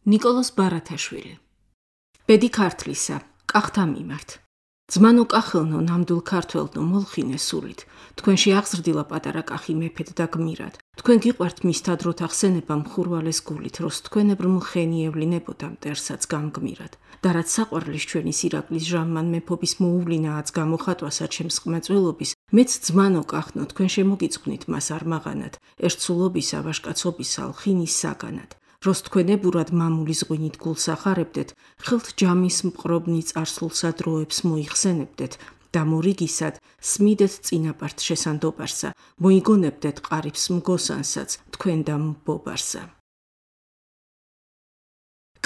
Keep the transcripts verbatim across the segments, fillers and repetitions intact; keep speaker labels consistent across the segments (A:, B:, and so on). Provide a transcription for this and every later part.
A: ნიკოლოზ ბარათაშვილი. ბედი ქართლისა, კახთა მიმართ. ძმანო კახელნო ნამდვილ ქართველნო მოლხინე სულით, თქვენში აღზრდილა პატარა კახი მეფედ და გმირად. თქვენ გიყვართ მისთა დროთ ახსენება მხურვალეს გულით, როს თქვენებრ მლხენი ევლინებოდა მტერსაც გამგმირად. და რაც საყვარლის ჩვენი ირაკლის ჟამმან მეფობის მოუვლინააც გამოხატვასა ჩემს ყმაწვილობის, მეც ძმანო კახნო თქვენ შემოგიწყვნით მას არ მაღანად, ერთსულობისა ვაშკაცობისა ლხინის საგანად. როს თქვენებურად მამულის ღვინით გულს ახარებდეთ, ხელთ ჯამის მყრობნი წარსულსა დროებს მოიხსენებდეთ და მორიგისად სმიდეთ წინაპართ შესანდობარსა, მოიგონებდეთ ყარიბს მგოსანსაც თქვენ და მბობარსა.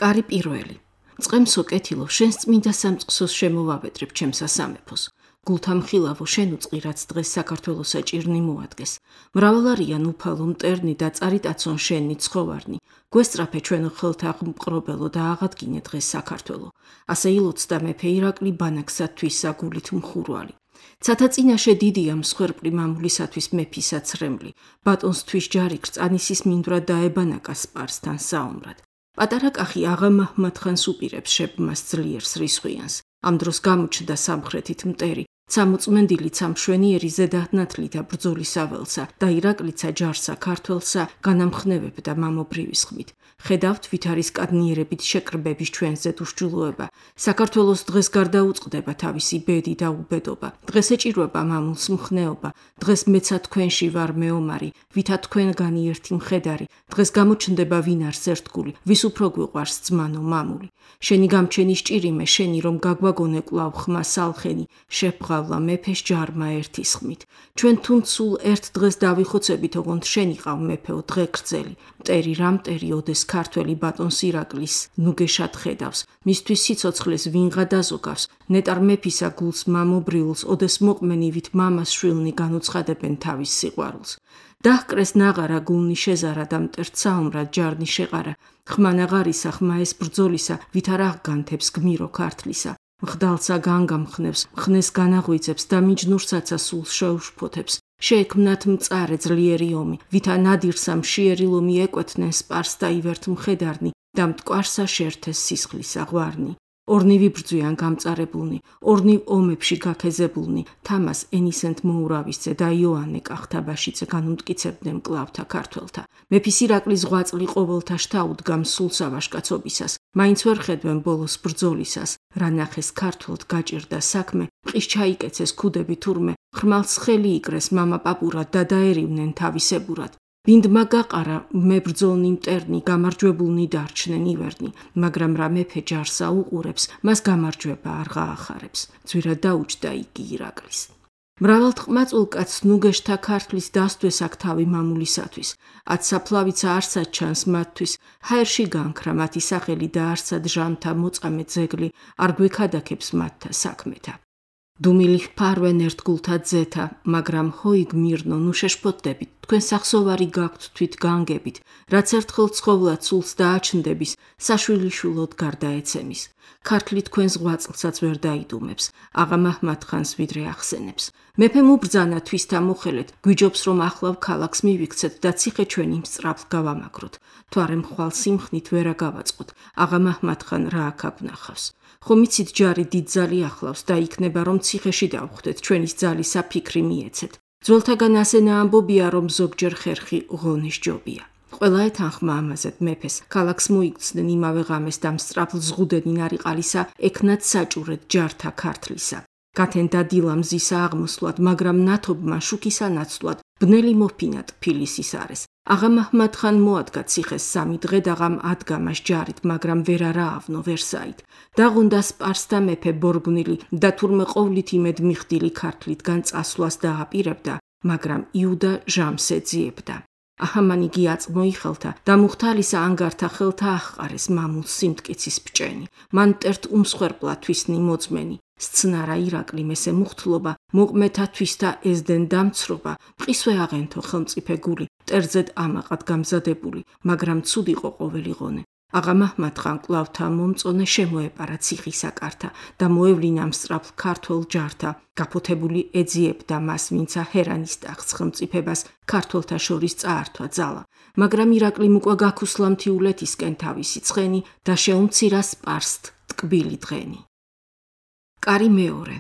A: კარი პირველი. წყემსო კეთილო, შენს წმინდა სამწყსოს შემოვავედრებ ჩემსა სამეფოს. გულთა მხილავო შენ უწყი, რაც დღეს საქართველოსა ჭირნი მოადგეს. მრავალ არიან უფალო მტერნი და წარიტაცონ შენი ცხოვარნი. გვესწრაფე ჩვენო ხელთა მყრობელო და აღადგინე დღეს საქართველო. ასე ილოცდა მეფე ირაკლი ბანაკსათვის საგულით მხურვალი. ცათა წინაშე დიდია მსხვერპლი მამულისათვის მეფისა ცრემლი. ბატონსთვის ჯარი კრწანისის მინდვრად დაებანაკა სპარსთან საომრად. პატარა კახი აღა მაჰმად-ხანს უპირებს შებმას ძლიერს რისხვიანს. ამ დროს გამოჩნდა სამხრეთით მტერი, ცამოწმენდილი ცამშვენიერი ზედანათლი და ბრძოლის აველსა და ირაკლიცა ჯარსა ქართველსა განამხნევებდა მამობრივის ხმით. ხედავთ ვითარის კადნიერებით შეკრბების ჩვენზე უშჯულოება. საქართველოს დღეს გარდაუწყდება თავისი ბედი და უბედობა. დღეს ეჭირვება მამულს მხნეობა. დღეს მეცა თქვენში ვარ მეომარი, ვითა თქვენგანი ერთი მხედარი. დღეს გამოჩნდება ვინ არს ერთგული, ვის უფრო გვიყვარს ძმანო მამული. შენი გამჩენის ჭირიმე, შენი რომ გაგვაგონე კვლავ ხმა სალხენი, შეფღავლა მეფეს ჯარმა ერთის ხმით. ჩვენ თუნ სულ ერთ დღეს დავიხოცებით, ოღონდ შენი ყავ მეფეო დღე გრძელი. მტერი რა მტერი ოდეს ქართველი ბატონს ირაკლის ნუგეშად ხედავს, მისთვის სიცოცხლეს ვინღა დაზოგავს, ნეტარ მეფისა გულს მამობრიულს, ოდეს მოყმენივით მამას შვილნი განუცხადებენ თავის სიყვარულს. დაჰკრეს ნაღარა გულნი შეზარა და მტერთ საომრად ჯარნი შეყარა, ხმანაღარისა ხმა ეს ბრძოლისა, ვითარ აღგანთებს გმირო ქართლისა. მხდალსა განგამხნევს, მხნეს განაღვიძებს და მიჯნურსაცა სულს შეუშფოთებს. შეექმნათ მწარე ძლიერი ომი, ვითა ნადირსა მშიერი ლომი ეკვეთნენ სპარს და ივერთ მხედარნი და მტკვარსა შერთეს სისხლისა ღვარნი. ორნივი ბრძვიან გამწარებულნი, ორნივ ომებში გაქეზებულნი, თამას ენისენთ მოურავისძე და იოანე კახთაბაშიძე განუმტკიცებდნენ კლავთა ქართველთა. მეფის ირაკლის ღვაწლი ყოველთა შთაუდგა მსულსა ვაშკაცობისას, მაინც ვერ ხედვენ ბოლოს ბრძოლისას. რა ნახეს ქართველთ გაჭირდა საქმე, მყის ჩაიკეცეს ქუდები თურმე, ხრმალს ხელი იკრეს მამა პაპურად და დაერივნენ თავისებურად. ბინდმა გაყარა მებრძოლნი მტერნი, გამარჯვებულნი დარჩნენ ივერნი, მაგრამ რა მეფე ჯარსა უყურებს, მას გამარჯვება არ გაახარებს. ძვირად დაუჯდა იგი ირაკლის. მრავალთ ყმაწვილ კაცს ნუგეშთა ქართლის დასდვეს აქ თავი მამულისათვის. ათსაფლავიცა არსად ჩანს მათთვის, ჰაერში განქრა მათი სახელი და არსად ჟამთა მოწამე ძეგლი, არ გვექადაკებს მათთა საქმეთა. დუმილი ჰფარვენ ერთგულთა ძეთა, მაგრამ ჰოი გმირნო ნუ შეშფოთდებით, თქვენ სახსოვარი გაქვთ თვით განგებით, რაც ერთხელ ცხოვლად სულს დააჩნდების, საშვილიშვილოდ გარდაეცემის. ქართლი თქვენს ღვაწლსაც ვერ დაიდუმებს, აღა მაჰმად-ხანს ვიდრე ახსენებს. მეფემ უბრძანა თვისთა მოხელეთ, გვიჯობს რომ ახლავ ქალაქს მივიქცეთ და ციხე ჩვენი მსწრაფლ გავამაგროთ. თვარე მხვალ სიმხნით ვერა გავაწყოთ, აღა მაჰმად-ხან რა აქ აგვნახავს. ხომ იცით ჯარი დიდძალი ახლავს და იქნება რომ ციხეში დავხვდეთ, ჩვენის ძალისა ფიქრი მიეცეთ. ძველთაგან ასენა ამბობია რომ ზოგჯერ ხერხი ღონის ჯობია. ყველა ეთანხმა ამაზედ მეფეს, ქალაქს მოიქცნენ იმავე ღამეს და მსწრაფლ ზღუდენენ არიყალისა, ექნათ საჭურეთ ჯართა ქართლისა. გათენ დადილა მზისა აღმოსვლად, მაგრამ ნათობმა შუქისა ნაცვლად, ბნელი მოფინა ტფილისის არის. აღა მაჰმად-ხან მოადგა ციხეს სამი დღე და ღამ ადგა მას ჯარით, მაგრამ ვერ არაავნო ვერსაით. დაღუნდა სპარსთა მეფე ბორგვნილი და თურმე ყოვლით იმედ მიხდილი ქართლითგან წასვლას დააპირებდა, მაგრამ იუდა ჟამს ეძიებდა. აჰამანი გიაწმო იხელთა და მუხთალისა ანგართა ხელთა ახყარეს მამულს სიმტკიცის ბჭენი. მან მტერთ უმსხვერპლა თვისნი მოწმენი. სცნარა ირაკლი მესე მუხთლობა, მოყმეთა თვისთა ეზდენ დამცრობა, მყისვე აღენთო ხელმწიფე გული, მტერზედ ამაყად გამზადებული, მაგრამ ცუდი იყო ყოველი ღონე. აღა მაჰმად-ხან კვლავთა მომწონე შემოეპარა ციხისა კართა და მოევლინა მსწრაფლ ქართველ ჯართა. გაფოთებული ეძიებდა მას, ვინცა ჰერანის ტახტს ხელმწიფებას ქართველთა შორის წაართვა ძალა. მაგრამ ირაკლიმ უკვე გაქუსლამთიულეთისკენ თავისი ცხენი და შეუმცირა სპარსთ ტკბილი დღენი. კარი მეორე.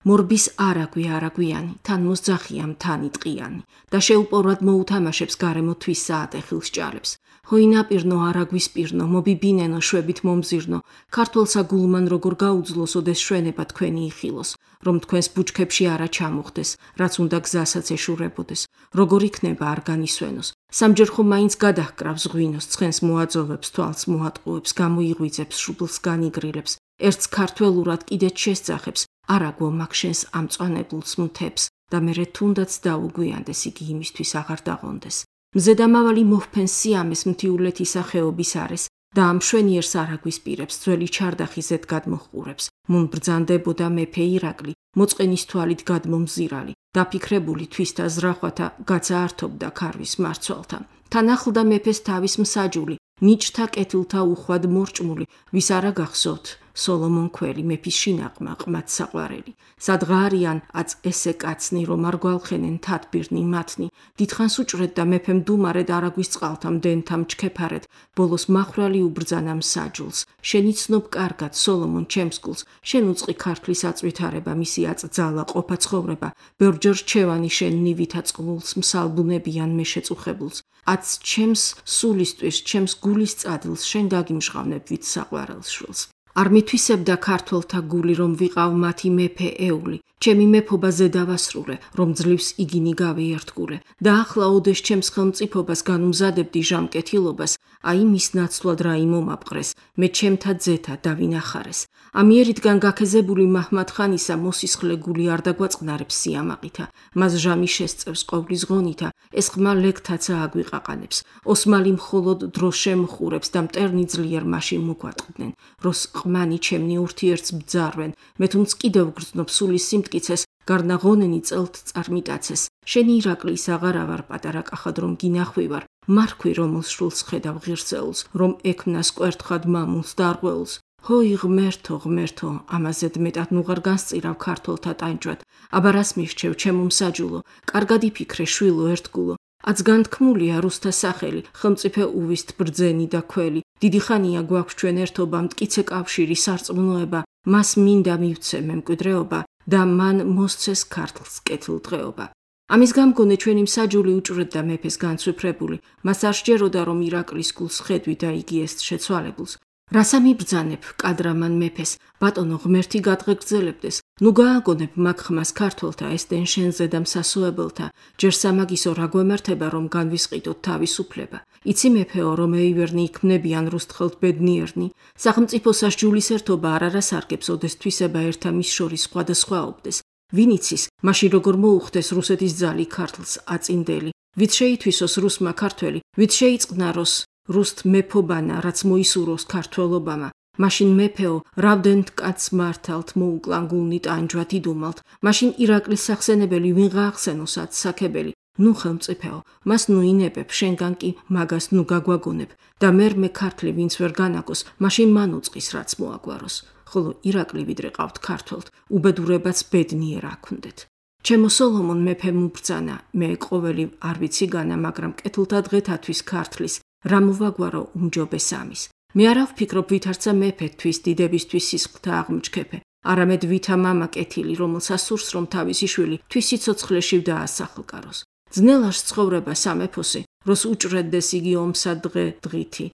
A: მორბის არაგვი არაგვიანი, თან მოსძახია მთანი ტყიანი და შეუპოვრად მოუთამაშებს გარემო თვის საატეხილს ჭალებს. ჰოინაპირნო არაგვის პირნო, მობიბინენო შვებით მომზირნო, ქართველსა გულმან როგორ გაუძლოს ოდეს შვენება თქვენი იხილოს, რომ თქვენს ბუჩქებში არა ჩამოხდეს, რაც უნდა გზასაც ეშურებოდეს, როგორ იქნება არ განისვენოს. სამჯერ ხომ მაინც გადაჰკრავს ღვინოს, ცხენს მოაძოვებს, თვალს მოატყუებს, გამოიღვიძებს, შუბლს განიგრილებს, ერთს ქართველურად კიდეც შესძახებს, არაგვო მაგ შენს ამწვანებულს მთებს და მერე თუნდაც დაუგვიანდეს იგი იმისთვის აღარ დაღონდეს. მზედამავალი მოჰფენს სიამეს მთიულეთისა ხეობის არის და ამ მშვენიერს არაგვის პირებს ძველი ჩარდახი ზედ გადმოჰყურებს. მუნ ბრძანდებოდა მეფე ირაკლი, მოწყენის თვალით გადმომზირალი, დაფიქრებული თვისთა ზრახვათა გაცაართობდა ქარვის მარცვალთა. თან ახლდა მეფეს თავის მსაჯული, ნიჭთა კეთილთა უხვად მორჭმული, ვის არა გახსოვთ, სოლომონ ქველი, მეფის შინაყმა, ყმად საყვარელი. სადღა არიან აწ ესე კაცნი, რომ არ გვალხენენ თათბირნი მათნი, დიდხანს უჭრეთ და მეფემ დუმარედ არაგვის წყალთა მდენთა მჩქეფარეთ, ბოლოს მახრალი უბრძანა მსაჯულს. შენი ცნობ კარგად, სოლომონ ჩემს გულს, შენ უწყი ქართლის აწვითარება, მისი აწძალა, ყოფა ცხოვრება, ბევრჯერ რჩევანი შენ ნივითა წყლულს, მსალბუნებიან მე შეწუხებულს. აც ჩემს სულისთვის, ჩემს გულის წადილს, შენ გაგიმჟღავნებ ვით საყვარელს შვილს. არ მithვისებდა ქართველთა გული, რომ ვიყავ მათი მეფე ეული, ჩემი მეფობა ზედავასრულე, რომ ძლივს იგინი გავიერთგულე, და ახლა ოდეს ჩემს ხელმწიფობას განუმზადებდი ჟამკეთილობას, აი მის ნაცვლად რა იმომაპყრეს, მე ჩემთა ძეთა დავინახარეს. ამიერიდან გაქეზებული მაჰმად-ხანისა მოსისხლე გული არ დაგვაწყნარებს სიამაყითა, მას ჟამი შესწევს ყოვლის ღონითა, ეს ხმა ლეგთაცა აგვიყაყანებს, ოსმალი მხოლოდ დროს შემხურებს და მტერნი ძლიერ მაშინ მოგვატყდნენ, როს ყმანი ჩემნი ურთიერთს ბძარვენ, მე თუნდაც კიდევ გრძნობ სულის სიმტკიცეს, გარნაღონენი წელთ წარმიტაცეს. შენი ირაკლის აღარა ვარ პატარა კახად რომ გინახვივარ, მარქვი რომელს შულს ხედავ ღირსეულს, რომ ექმნას კვერთხად მამულს და არღვეულს. ჰოი ღმერთო, ღმერთო, ამაზედ მეტად ნუღარ განსწირავ ქართველთა ტანჯვად, აბა რას მირჩევ ჩემო მსაჯულო, კარგად იფიქრე შვილო ერთგულო. აც განთქმულია რუსთა სახელი, ხელმწიფე უვისთ ბრძენი და ქველი. დიდი ხანია გვაქვს ჩვენ ერთობა, მტკიცე კავშირი, სარწმუნოება, მას მინდა მივცე მემკვიდრეობა და მან მოსცეს ქართლს კეთილდღეობა. ამის გამგონე ჩვენი მსაჯული უჭრედდა მეფეს განცვიფრებული, მას არ სჯეროდა რომ ირაკლის გულს ხედვი და იგი ეს შეცვალებულს. რასა მიბრძანებ კადრამან მეფეს, ბატონო ღმერთი გადღეგრძელებდეს, ნუ გააგონებ მაგ ხმას ქართველთა ესდენ შენზე და მსასოებელთა, ჯერ სამაგისო რა გვემართება რომ განვისყიდოთ თავისუფლება. იცი მეფეო რომ ეივერნი იქმნებიან რუსთხელთ ბედნიერნი, სახელმწიფოსა სჯულის ერთობა არ არასარგებს ოდეს თვისება ერთა მის შორის სხვადასხვაობდეს. ვინ იცის, მაშინ როგორ მოუხდეს რუსეთის ძალი ქართლს აწინდელი, ვით შეითვისოს რუსმა ქართველი, ვით შეიწყნაროს რუსთ მეფობანა, რაც მოისურვოს ქართველობამა, მაშინ მეფეო, რავდენთ კაცს მართალთ მოუკლან გულნი ტანჯვად იდუმალთ, მაშინ ირაკლის სახსენებელი ვინ გაახსენოს ათ საქებელი, ნუ ხელმწიფეო, მას ნუ ინებებ, შენგან კი მაგას ნუ გაგვაგონებ, და მერ მე ქართლი ვინც ვერ განაგოს, მაშინ მან უწყის რაც მოაგვაროს, ხოლო ირაკლი ვიდრე ყავთ ქართველთ, უბედურებაც ბედნიერ აქვდეთ. ჩემო სოლომონ მეფემ უბრძანა, მე ყოველი არ ვიცი განა, მაგრამ კეთილთა დღეთათვის ქართლის რა მოვაგვარო უმჯობეს ამის. მე არა ვფიქრობ ვითარცა მეფეთთვის, დიდებისთვის სისხლთა აღმჩქეფე, არამედ ვითა მამა კეთილი, რომელსაც სურს რომ თავისი შვილი თვის სიცოცხლეში დაასახლკაროს. ძნელაშ ცხოვრება სამეფოსი, როს უჭრედდეს იგი ომსა დღე დღითი.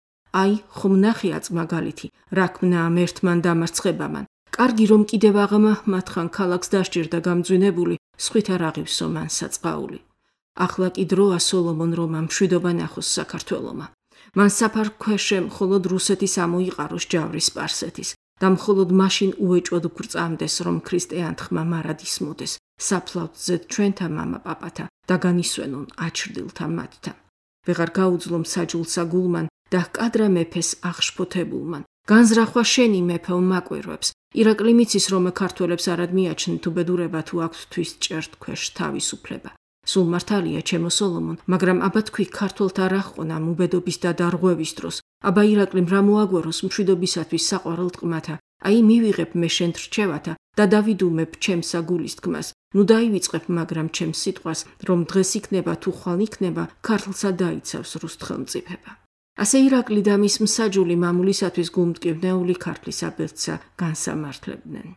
A: აი, ხომ ნახიაც მაგალითი, რა ქმნა ამ ერთმან დამარცხებამან. კარგი რომ კიდევ აღა მაჰმად-ხან ქალაქს დასჭირდა გამძვინებული, სხვით არ აღივსო მან საწყაული. ახლა კი დროა სოლომონ რომ ამ მშვიდობა ნახოს საქართველომა. მან საფარ ქვეშე მხოლოდ რუსეთის ამოიყაროს ჯავრი სპარსეთის და მხოლოდ მაშინ უეჭოდ გვწამდეს რომ ქრისტიანთ ხმა მარად ისმოდეს, საფლავთ ზედ ჩვენთა მამა პაპათა და განისვენონ აჩრდილთა მათთა. ვეღარ გაუძლო მსაჯულსა გულმან და ჰკადრა მეფეს აღშფოთებულმან. განზრახვა შენი მეფეო მაკვირვებს, ირაკლი მიცის რომ ქართველებს არად მიაჩნდ უბედურება თუ აქვთ თვის ჭერთ ქვეშ თავისუფლება. სულ მართალია ჩემო სოლომონ, მაგრამ აბა თქვი ქართველთა რა ჰყონა უბედობის და დარღვევის დროს, აბა ირაკლიმ რა მოაგვაროს მშვიდობისათვის საყვარელ ტყმათა, აი მივიღებ მე შენ რჩევათა და დავიდუმებ ჩემსა გულის თქმას, ნუ დაივიწყებ მაგრამ ჩემს სიტყვას, რომ დღეს იქნება თუ ხვალ იქნება, ქართლსა დაიცავს რუსთ ხელმწიფება. ასე ირაკლი და მის მსაჯული მამულისათვის გულმტკივნეული ქართლის აბერცსა განსამართლებდნენ.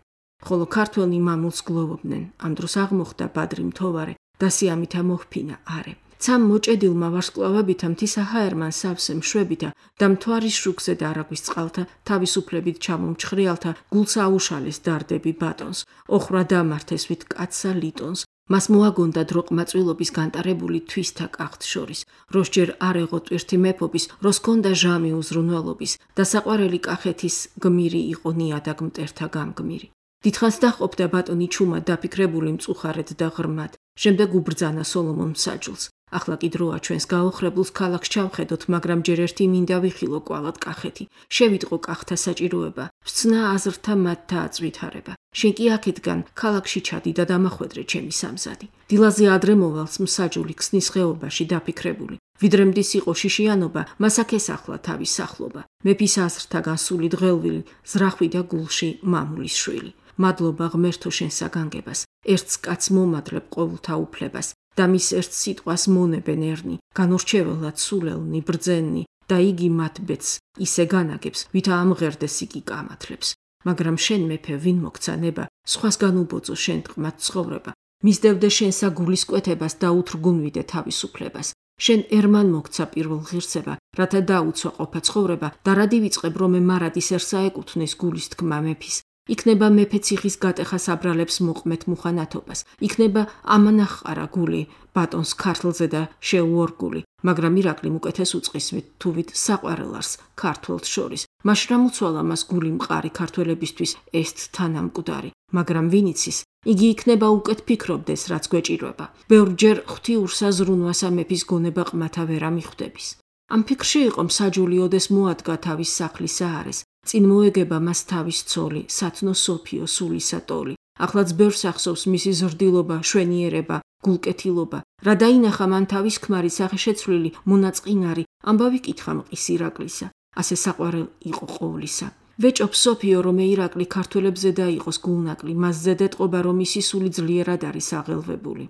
A: ხოლო ქართველნი მამულს გლოვობდნენ, ამ დროს აღმოხდა ბადრი მთოვარე და სიამითა მოჰფინა არე. ცამ მოჭედილმა ვარსკვლავებითა მთისა ჰაერმან სავსე მშვებითა და მთვარის შუქზე და არაგვის წყალთა თავისუფლებით ჩამომჩხრიალთა გულს აუშალეს დარდები ბატონს, ოხრა დამართეს ვით კაცსა ლიტონს, მას მოაგონდა დროყმაწვილობის განტარებული თვისთა კახთ შორის, როს ჯერ არ ეღო ტვირთი მეფობის, როს ჰქონდა ჟამი უზრუნველობის და საყვარელი კახეთის გმირი იყო ნიადაგ მტერთა გამგმირი. დიდხანს დაყოფდა ბატონი ჩუმად დაფიქრებული მწუხარედ და ღრმად, შემდეგ უბრძანა სოლომონ მსაჯულს. ახლა კი დროა ჩვენს გაოხრებულს ქალაქს ჩავხედოთ, მაგრამ ჯერ ერთი მინდა ვიხილო კვალად კახეთი, შევიტყო კახთა საჭიროება, ვსცნა აზრთა მათთა აწვითარება. შენ კი აქეთგან ქალაქში ჩადი და დამახვედრე ჩემი სამზადი. დილაზე ადრე მოვალს მსაჯული ქსნის ხეობაში დაფიქრებული. ვიდრე მდის იყო შიშიანობა, მას აქ ესახლა თავის სახლობა. მეფის აზრთაგან სული დღელვილი, ზრახვი და გულში მამულის შვილი. მადლობა ღმერთო შენსა განგებას, ერთს კაც მომადლებ ყოვლთა უფლებას. და მის ერთ სიტყვას მონებენ ერნი, განორჩეველად სულელნი, ბრძენნი და იგი მათ ბედს ისე განაგებს, ვითა ამღერდეს იგი კამათლებს. მაგრამ შენ მეფე ვინ მოგცანება, სხვას განუბოძო შენ ტყმად ცხოვრება, მისდევდე შენსა გულის კვეთებას და უთრგუნვიდე თავისუფლებას. შენ ერმან მოგცა პირველ ღირსება, რათა დაუცვა ყოფა ცხოვრება და რა დივიწყებ რომ მარადისერსა ეკუთვნეს გულის თქმა მეფის. იქნება მეფე ციხის გატეხას აბრალებს მოყმეთ მუხანათობას, იქნება ამანახყარა გული ბატონს ქართლზე და შეუორგული, მაგრამ ირაკლიმ უკეთეს უწყისვით თუვით საყვარელარს ქართველთ შორის. მაშ რა მუცვალა მას გული მყარი ქართველებისთვის ესთ თანამკვდარი, მაგრამ ვინიცის, იგი იქნება უკეთ ფიქრობდეს, რაც გვეჭირვება. ბევრჯერ ღვთიურსა ზრუნვასა მეფის გონება ყმათა ვერა მიხვდების. ამ ფიქრში იყო მსაჯული ოდეს მოადგა თავის სახლის საარეს. წინ მოეგება მას თავის ცოლი, სათნო სოფიო სულისა ტოლი. ახლაც ბევრს ახსოვს მისი ზრდილობა, შვენიერება, გულკეთილობა. რა დაინახა მან თავის ქმარი სახეშეცვლილი, მონაწყინარი, ამბავი კითხა მყის ირაკლისა. ასე საყვარელ იყო ყოვლისა. ვეჭობ სოფიო რომ ირაკლი ქართველებზე დაიყოს გულნაკლი, მასზე დეტყობა რომ ისი სული ძლიერად არის აღელვებული.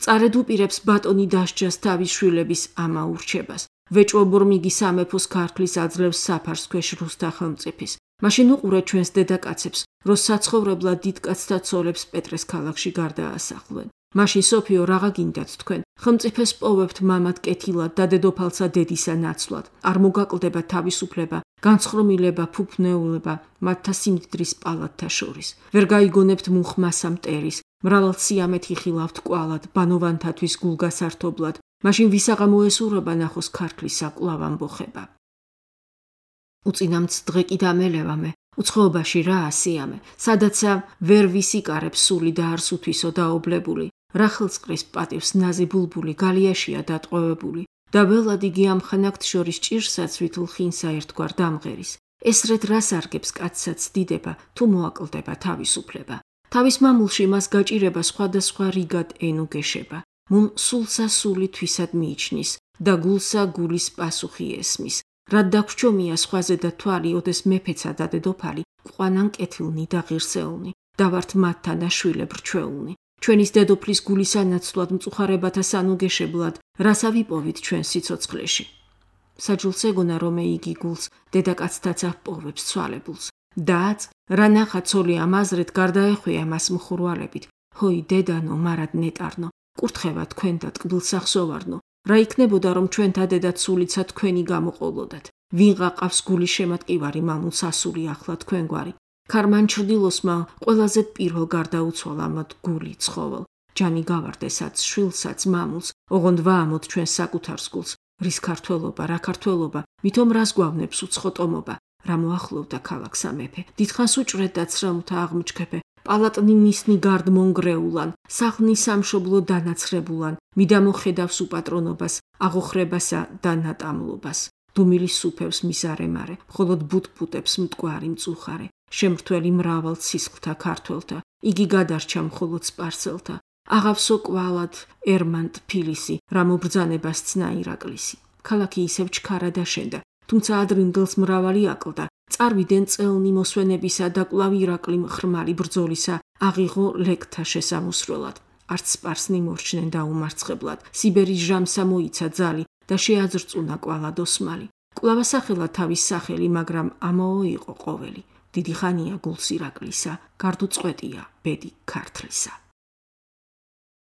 A: წარედ უპირებს ბატონი დასჯას თავის შვილების ამა ურჩებას. ვეჭვობ რომ იგი სამეფოს ქართლის აძლევს საფარს ქვეშ რუსთა ხელმწიფის. მაშინ უყურე ჩვენს დედაკაცებს, რომ საცხოვრებლად დიდკაცთა ცოლებს პეტრეს ქალაქში გარდაასახლენ. მაშინ სოფიო რაღა გინდათ თქვენ, ხელმწიფეს პოვებთ მამად კეთილად და დედოფალსა დედისა ნაცვლად. არ მოგაკლდება თავისუფლება, განცხრომილება, ფუფნეულება მათთა სიმდიდრის პალატთა შორის. ვერ გაიგონებთ მუხმასა მტერის, მრავალ სიამეთ იხილავთ კვალად, ბანოვანთათვის გულგასართობლად. მაშინ ვისაღა მოესურება ნახოს ქართლისა კვლავ ამბოხება. უწინამც დღე კი დამელევამე, უცხოობაში რა ასიამე, სადაცა ვერ ვისიკარებს სული და არს უთვისო დაობლებული, რა ხელწყრის პატივს ნაზი ბულბული გალიაშია დატყვევებული, და ველად იგი ამ ხანაგთ შორის ჭირსაც ვითულ ხინსა ერთგვარ დამღერის. ესრეთ რას არგებს კაცსაც დიდება, თუ მოაკლდება თავისუფლება. თავის მამულში მას გაჭირება სხვადასხვა რიგად ენუ გეშება. მუნ სულსა სული თვისად მიიჩნის და გულსა გულის პასუხი ესმის. რად დაგვრჩომია სხვაზე და თვალი, ოდეს მეფეცა და დედოფალი, ყვანან კეთილნი და ღირსეულნი, და ვართ მათთან და შვილებ რჩეულნი. ჩვენის დედოფლის გულისა ნაცვლად მწუხარებათა სანუგეშებლად, რასა ვიპოვით ჩვენ სიცოცხლეში. საჯულს ეგონა რომ იგი გულს დედაკაცთაც აპოვებს ცვალებულს. დააც რა ნახა ცოლი ამ აზრეთ გარდაეხვია მას მხურვალებით. ჰოი დედანო მარად ნეტარნო, კურთხევა თქვენ და ტკბილსა ხსოვარნო. რა იქნებოდა რომ ჩვენთა დედაც სულიცა თქვენი გამოყოლოდათ. ვინღა ყავს გული შემატკივარი მამულს ასული ახლა თქვენგვარი. ქარმან ჩრდილოსმა ყველაზე პირველ გარდაუცვალა მათ გული ცხოველ. ჯანი გავარდესაც შვილსაც მამულს, ოღონდ ვაამოთ ჩვენ საკუთარს გულს. რის ქართველობა, რა ქართველობა, მithom რას გვავნებს უცხოტომობა. რა მოახლოვდა ქალაქსა მეფე. დიდხანს უჭრეთ და ცრემლთა აღმჩქეფე. პალატნი მისნი გარდ მონგრეულან, სახლნი სამშობლო დანაცრებულან, მიდამოხედავს უპატრონობას, აღოხრებასა და ნატამლობას. დუმილი სუფევს მისარემარე, მხოლოდ ბუტბუტებს მტკვარი მწუხარე. შემრთველი მრავალ სისხლთა ქართველთა, იგი გადარჩა მხოლოდ სპარსელთა. აღავსო კვალად ერმან თბილისი, რა მობრძანებას ცნა ირაკლისი. ქალაქი ისევ ჩქარა დაშენდა, თუმცა ადრინდელს მრავალი აკლდა, წარვიდან წელნი მოსვენებისა და კვლავ ირაკლიმ ხრმალი ბრძოლისა აღიღო ლეკთა შესამოსროლად. არც სპარსნი მორჩნენ დაუმარცხებლად, სიბერის ჟამსა მოიცა ძალი და შეაძრწუნა კვალად ოსმალი. კვლავ ასახელა თავის სახელი, მაგრამ ამაო იყო ყოველი. დიდი ხანია გულს ირაკლისა, გარდუწყვეტია ბედი ქართლისა.